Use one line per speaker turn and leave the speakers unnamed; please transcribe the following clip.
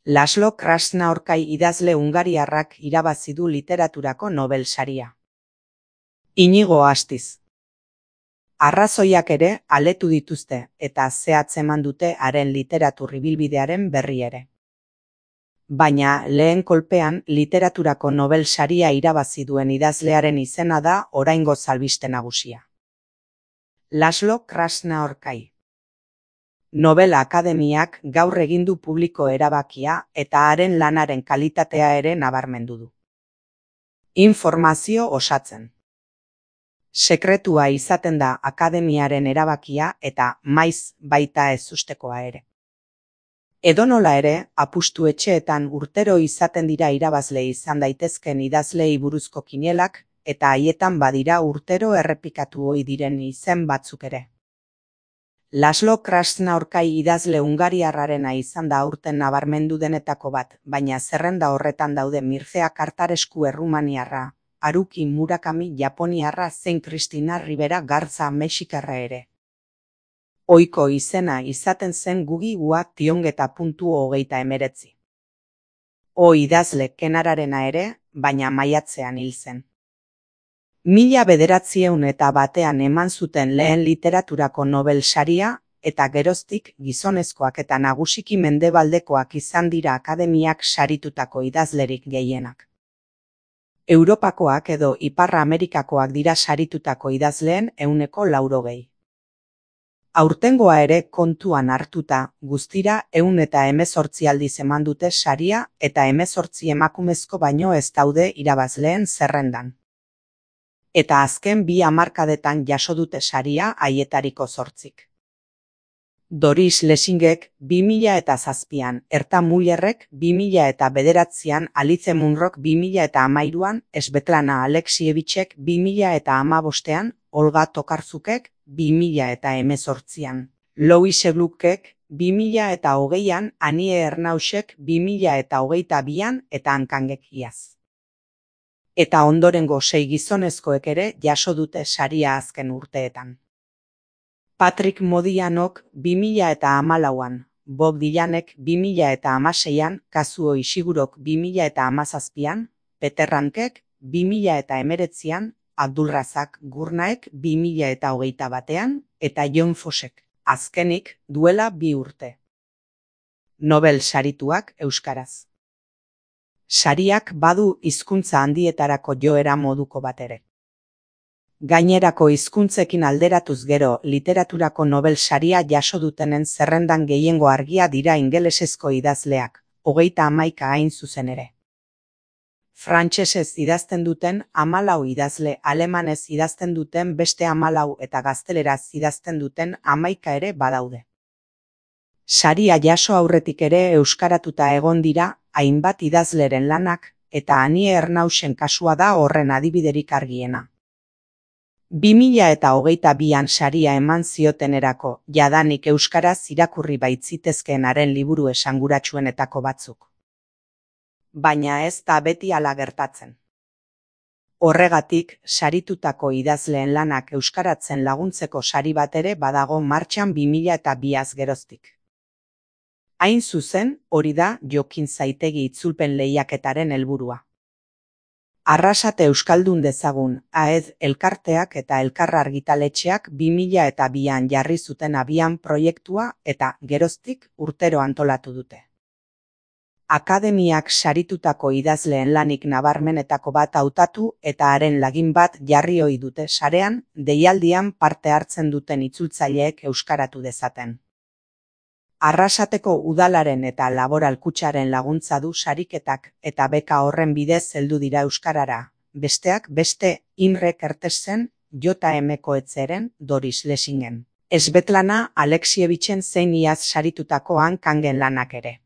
Laszlo Krasznaorkai idazle hungariarrak irabazi du literaturako Nobel saria. Inigo Astiz. Arrazoiak ere aletu dituzte eta zehatz eman dute haren literatur ibilbidearen berri ere. Baina lehen kolpean literaturako Nobel saria irabazi duen idazlearen izena da oraingo albiste nagusia. Laszlo Krasznaorkai. Nobel Akademiak gaur egin du publiko erabakia eta haren lanaren kalitatea ere nabarmendu du. Informazio osatzen. Sekretua izaten da akademiaren erabakia eta maiz baita ezustekoa ere. Edonola ere, apustu etxeetan urtero izaten dira irabazle izan daitezken idazleei buruzko kinielak eta haietan badira urtero errepikatu ohi diren izen batzuk ere. Laszlo Krasznaorkai idazle hungariarrarena izan da aurten nabarmendu denetako bat, baina zerrenda horretan daude Mircea Kartarescu errumaniarra, Haruki Murakami japoniarra zein Cristina Rivera Garza mexikarra ere. Ohiko izena izaten zen Gugi Wa Tiongeta.19. Idazle kenararena ere, baina maiatzean hil zen. 1901 eman zuten lehen literaturako Nobel saria, eta geroztik gizonezkoak eta nagusiki mendebaldekoak izan dira akademiak saritutako idazlerik gehienak. Europakoak edo Ipar Amerikakoak dira saritutako idazleen 80%. Aurtengoa ere kontuan hartuta, guztira 118 aldiz eman dute saria eta 18 emakumezko baino ez daude irabazleen zerrendan. Eta azken 2 hamarkadetan jaso dute saria haietariko 8. Doris Lessingek 2007an, Herta Müllerrek 2009an, Alice Munrok 2013an, Svetlana Alexievicek 2015an, Olga Tokarzukek 2018an, Louise Gluckek 2020an, Annie Ernauxek 2022an eta Hankangek iaz. Eta ondorengo 6 gizonezkoek ere jaso dute saria azken urteetan. Patrick Modianok 2014an, Bob Dylanek 2016an, Kazuo Ishigurok 2017an, Peter Handkek 2019an, Abdulrazak Gurnaek 2021an eta John Fossek, azkenik duela 2 urte. Nobel sarituak euskaraz. Sariak badu hizkuntza handietarako joera moduko bat ere. Gainerako hizkuntzekin alderatuz gero literaturako Nobel saria jaso dutenen zerrendan gehiengo argia dira ingelesezko idazleak, 31 hain zuzen ere. Frantsesez idazten duten 14 idazle, alemanez idazten duten beste 14 eta gazteleraz idazten duten 11 ere badaude. Saria jaso aurretik ere euskaratuta egon dira hainbat idazleren lanak, eta Annie Ernauxen kasua da horren adibiderik argiena. 2022an saria eman ziotenerako, jadanik euskaraz irakurri baitzitezkeen haren liburu esanguratsuenetako batzuk. Baina ez da beti hala gertatzen. Horregatik, saritutako idazleen lanak euskaratzen laguntzeko sari bat ere badago martxan 2002az geroztik. Hain zuzen, hori da Jokin Zaitegi itzulpen lehiaketaren helburua. Arrasate euskaldun dezagun, AED elkarteak eta elkar argitaletxeak 2002an jarri zuten abian proiektua eta geroztik urtero antolatu dute. Akademiak saritutako idazleen lanik nabarmenetako bat hautatu eta haren lagin bat jarri ohi dute sarean, deialdian parte hartzen duten itzultzaileek euskaratu dezaten. Arrasateko udalaren eta laboral kutxaren laguntza du sariketak eta beka horren bidez heldu dira euskarara, besteak beste Imre Kertésen, J.M. Coetzeren, Doris Lessingen, Svetlana Alexievichen zein iaz saritutako Hankangen lanak ere.